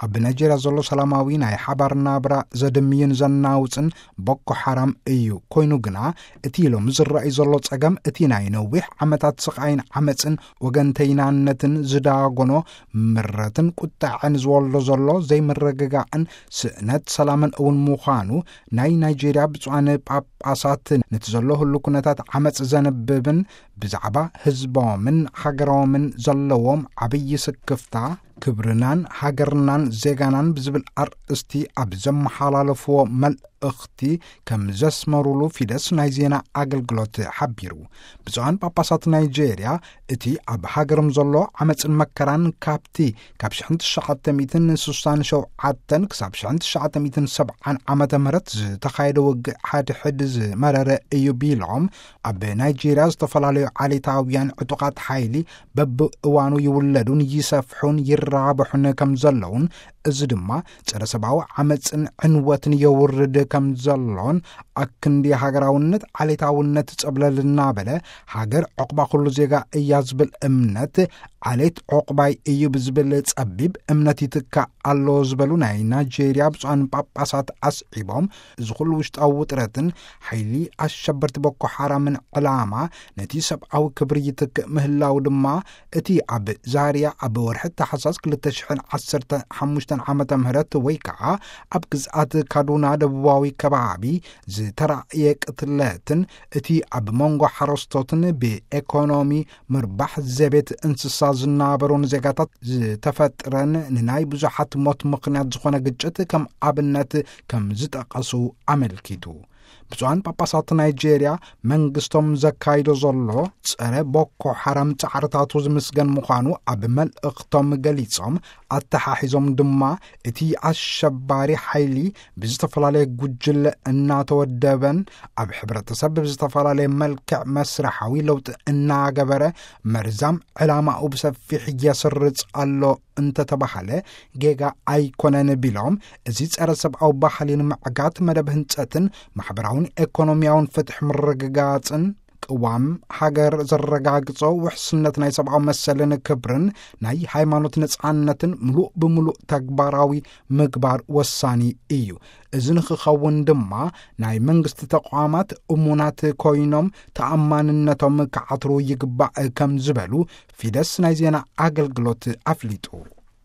ኣብ ናይጄርያ ዘሎ ሰላማዊ ናይ ሓባር ናብራ ዘድምይን ዘናውጽን ቦኮ ሓራም እዩ። ኮይኑ ግና፣ እቲ ሎሚ ዝረኣይ ዘሎ ጸገም፣ እቲ ናይ ነዊሕ ዓመታት ስቓይን ዓመጽን ወገንተይናነትን ዝዳጎኖ ምረትን ቁጣዕን ዝወልዶ ዘሎ ዘይምርግጋእን ስእነት ሰላምን እውን ምዃኑ፣ ናይ ናይጄርያ ብፁዓን ጳጳሳት ነቲ ዘሎ ህሉ ኩነታት ዓመጽ ዘንብብን ብዛዕባ ህዝቦምን ሃገሮምን ዘለዎም ዓብዪ ስክፍታ፣ ክብርናን ሃገርናን ዜጋናን ብዝብል ኣርእስቲ ኣብ ዘመሓላለፍዎ መልእኽቲ ከም ዘስመሩሉ ፊደስ ናይ ዜና ኣገልግሎት ሓቢሩ። ብፁዓን ጳጳሳት ናይጄርያ፣ እቲ ኣብ ሃገሮም ዘሎ ዓመጽን መከራን፣ ካብቲ ካብ ሽሕን ትሽዓተ ሚእትን ስሳን ሸውዓተን ክሳብ ሽሕን ትሽዓተ ሚእትን ሰብዓን ዓመተ ምህረት ዝተኻየደ ውግእ ሓድሕድ ዝመረረ እዩ ቢሎም፣ ኣብ ናይጄርያ ዝተፈላለዩ ዓሌታውያን ዕጡቓት ሓይሊ በብእዋኑ ይውለዱን ይሰፍሑን ይራብሑን ከም ዘለውን፣ እዚ ድማ ጸረ ሰብኣዊ ዓመጽን ዕንወትን የውርድ ከም ዘሎን፣ ኣክንዲ ሃገራውነት ዓሌታውነት ጸብለል እናበለ፣ ሃገር ዑቕባ ኩሉ ዜጋ እያ ዝብል እምነት፣ ዓሌት ዑቕባይ እዩ ብዝብል ጸቢብ እምነት ይትካእ ኣሎ ዝበሉ ናይ ናይጄርያ ብፁዓን ጳጳሳት ኣስዒቦም፣ እዚ ኩሉ ውሽጣዊ ውጥረትን ሓይሊ ኣሸበርቲ ቦኮ ሓራምን ዕላማ ነቲ ሰብኣዊ ክብሪ ይትክእ ምህላው ድማ፣ እቲ ኣብ ዛርያ ኣብ ወርሒ ታሕሳስ ክልተ ሽሕን ዓሰርተ ሓሙሽተን ዓመተ ምህረት ወይ ከዓ ኣብ ግዝኣት ካዱና ደቡባዊ ከባቢ ዝተራእየ ቅትለትን፣ እቲ ኣብ መንጎ ሓረስቶትን ብኤኮኖሚ ምርባሕ ዘቤት እንስሳ ዝናበሩን ዜጋታት ዝተፈጥረን ንናይ ብዙሓት ሞት ምኽንያት ዝኾነ ግጭት ከም ኣብነት ከም ዝጠቐሱ ኣመልኪቱ። ብፁዓን ጳጳሳት ናይጄርያ መንግስቶም ዘካይዶ ዘሎ ጸረ ቦኮ ሓራም ጻዕርታቱ ዝምስገን ምዃኑ ኣብ መልእኽቶም ገሊጾም፣ ኣተሓሒዞም ድማ እቲ ኣሸባሪ ሓይሊ ብዝተፈላለየ ጉጅለ እናተወደበን ኣብ ሕብረተሰብ ብዝተፈላለየ መልክዕ መስርሓዊ ለውጢ እናገበረ መርዛም ዕላማኡ ብሰፊሕ የስርጽ ኣሎ እንተተባሃለ ጌጋ ኣይኮነን ቢሎም፣ እዚ ጸረ ሰብኣዊ ባህሊ ንምዕጋት መደብ ህንጸትን ማሕበራውን ኤኮኖሚያውን ፍትሕ ምርግጋጽን ቅዋም ሃገር ዘረጋግጾ ውሕስነት ናይ ሰብኣዊ መሰልን ክብርን ናይ ሃይማኖት ነጻነትን ምሉእ ብምሉእ ተግባራዊ ምግባር ወሳኒ እዩ። እዚ ንክኸውን ድማ ናይ መንግስቲ ተቋማት እሙናት ኮይኖም ተኣማንነቶም ክዓትሩ ይግባእ ከም ዝበሉ ፊደስ ናይ ዜና ኣገልግሎት ኣፍሊጡ።